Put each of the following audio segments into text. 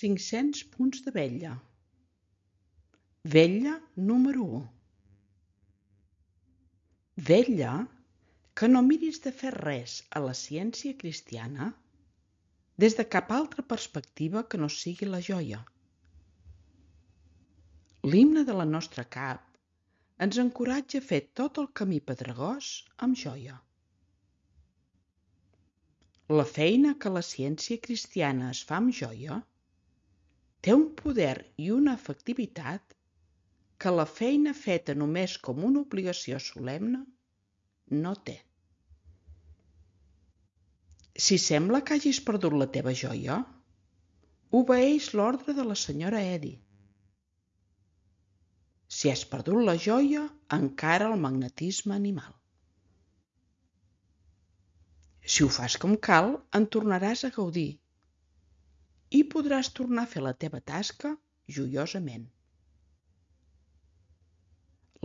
500 punts de vetlla. Vetlla número 1. Vetlla que no miris de fer res a la ciència cristiana des de cap altra perspectiva que no sigui la joia. L'himne de la nostra cap ens encoratja a fer tot el camí pedregós amb joia. La feina que la ciència cristiana es fa amb joia té un poder i una efectivitat que la feina feta només com una obligació solemne no té. Si sembla que hagis perdut la teva joia, obeeix l'ordre de la senyora Eddy. Si has perdut la joia, encara el magnetisme animal. Si ho fas com cal, en tornaràs a gaudir i podràs tornar a fer la teva tasca joiosament.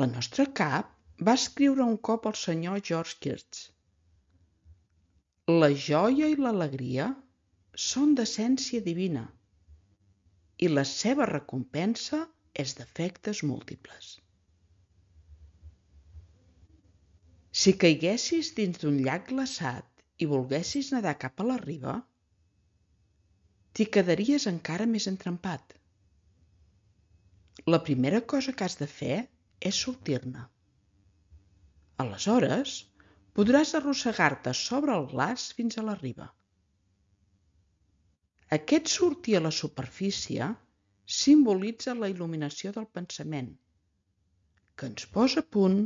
La nostra cap va escriure un cop al senyor George Kirsch: la joia i l'alegria són d'essència divina i la seva recompensa és d'efectes múltiples. Si caiguessis dins d'un llac glaçat i volguessis nedar cap a la riba, t'hi quedaries encara més entrampat. La primera cosa que has de fer és sortir-ne. Aleshores, podràs arrossegar-te sobre el glaç fins a la riba. Aquest sortir a la superfície simbolitza la il·luminació del pensament, que ens posa a punt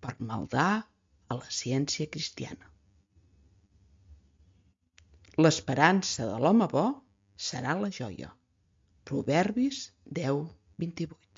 per maldar a la ciència cristiana. L'esperança de l'home bo serà la joia. Proverbis 10:28.